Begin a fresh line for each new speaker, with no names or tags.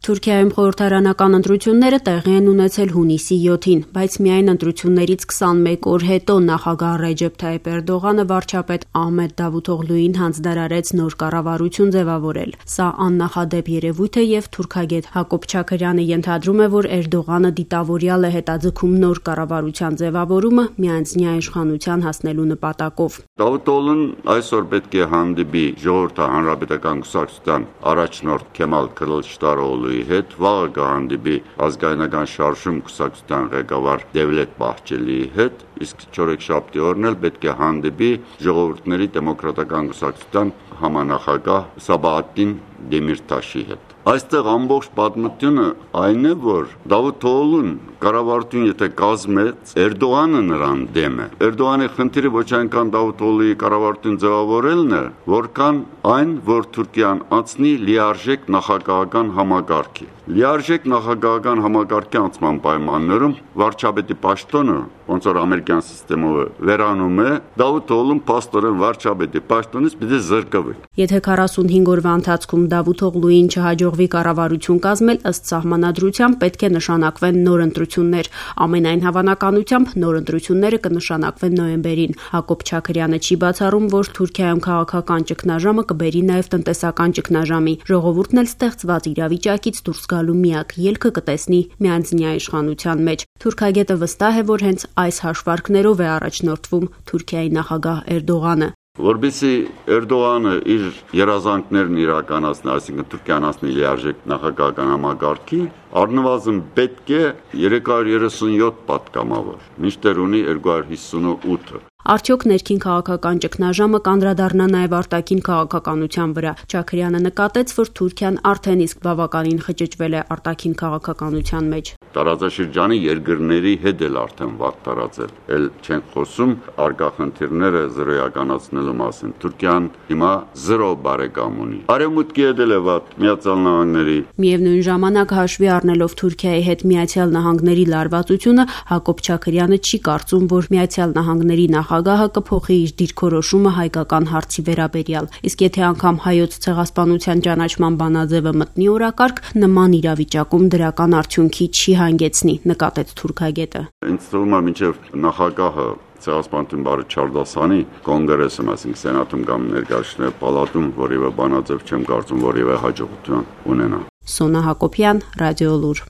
Թուրքիայում խորհրդարանական ընտրությունները տեղի են ունեցել հունիսի 7-ին, բայց միայն ընտրություններից 21 օր հետո նախագահ Ռեջեփ Թայիփ Էրդողանը վարչապետ Ահմեդ Դավութօղլուին հանձնարարեց նոր կառավարություն ձևավորել։ Սա աննախադեպ երևույթ է եւ թուրքագետ Հակոբ Չաքրյանը ենթադրում է, որ Էրդողանը դիտավորյալ է հետաձգում նոր կառավարության ձևավորումը միանձնյա իշխանության հասնելու նպատակով։
Դավութօղլուն այսօր պետք է հանդիպի ժողովրդի հանրապետական կուսակցության առաջնորդ Քեմալ Քլիչդարօղլուի հետ, վաղը կհանդիպի ազգայնական շարժում կուսակցության ղեկավար Դևլետ Բահջելիի հետ, իսկ չորեքշաբթի օրն էլ պետք է հանդիպի ժողովուրդների դեմոկրատական կուսակցության համանախագահ Սաբահատին Դեմիրտաշի հետ։ Այստեղ ամբողջ պատմությունը այն է, որ Դավութօղլուն կառավարություն եթե կազմեց, Էրդողանը նրան դեմ է։ Էրդողանի խնդիրը ոչ այնքան Դավութօղլուի կառավարություն ձևավորելն է, որքան այն, որ Թուրքիան անցնի լիարժեք նախագահական համակարգի։ Լիարժեք նախագահական համակարգի անցման պայմաններում վարչապետի պաշտոնը, ոնց որ ամերիկյան համակարգով վերանում է, Դավութօղլուն փաստորեն վարչապետի պաշտոնից պիտի զրկվի։
Եթե 45 օրվա ընթացքում Դավութօղլուին չհաջողվի կառավարություն կազմել, ըստ սահմանադրության պետք է նշանակվեն նոր ընտրություններ։ Ամենայն հավանականությամբ նոր ընտրությունները կնշանակվեն նոյեմբերին։ Հակոբ Չաքրյանը չի բացառում, որ Թուրքիայում քաղաքական ճգնաժամը կբերի նաև տնտեսական ճգնաժամի։ Ժողովուրդն էլ ստեղծված իրավիճակից դուրս գալու միակ ելքը կտեսնի միանձնյա իշխանության մեջ։ Թուրքագետը վստահ է, որ հենց այս հաշվարկներով է առաջնորդվում Թուրքիայի նախագահ Էրդողանը։
Որպեսզի Էրդողանը իր երազանքներն իրականացնի, այսինքն Թուրքիան հասնի լիարժեք նախագահական համակարգի, առնվազն պետք է 337 պատգամավոր, մինչդեռ ունի 258-ը։
Արդյոք ներքին քաղաքական ճգնաժամը կանդրադառնա նաև արտաքին քաղաքականության վրա։ Չաքրյանը նկատեց, որ Թուրքիան արդեն իսկ բավականին խճճվել է արտաքին քաղաքականության մեջ։
Տարածաշրջանի երկրների հետ էլ արդեն վատ տարածել։ Էլ չեն խոսում արկա խնդիրները զրոյականացնելու մասին։ Թուրքիան հիմա 0 բարեկամ ունի։ Արևմուտքի հետ էլ է վատ, Միացյալ Նահանգների։
Միևնույն ժամանակ հաշվի առնելով Թուրքիայի հետ Միացյալ Նահանգների լարվածությունը, Հակոբ Չաքրյանը չի կարծում, որ Միացյալ Նահանգների նախագահը կփոխի իր դիրքորոշումը հայկական հարցի վերաբերյալ։ Իսկ եթե անգամ հայոց ցեղասպանության ճանաչման բանաձևը մտնի օրակարգ, նման իրավիճակում դրական արդյունքի չի հանգեցնի, նկատեց թուրքագետը։
Ինձ թվում է մինչև նախագահը ցեղասպանություն բարի չարդասանի կոնգրեսում, այսինքն սենատում կամ ներկայացուցիչների պալատում որևէ բանաձև չեմ կարծում որևէ հաջողություն ունենա։
Սոնա Հակոբյան, Ռադիոլուր։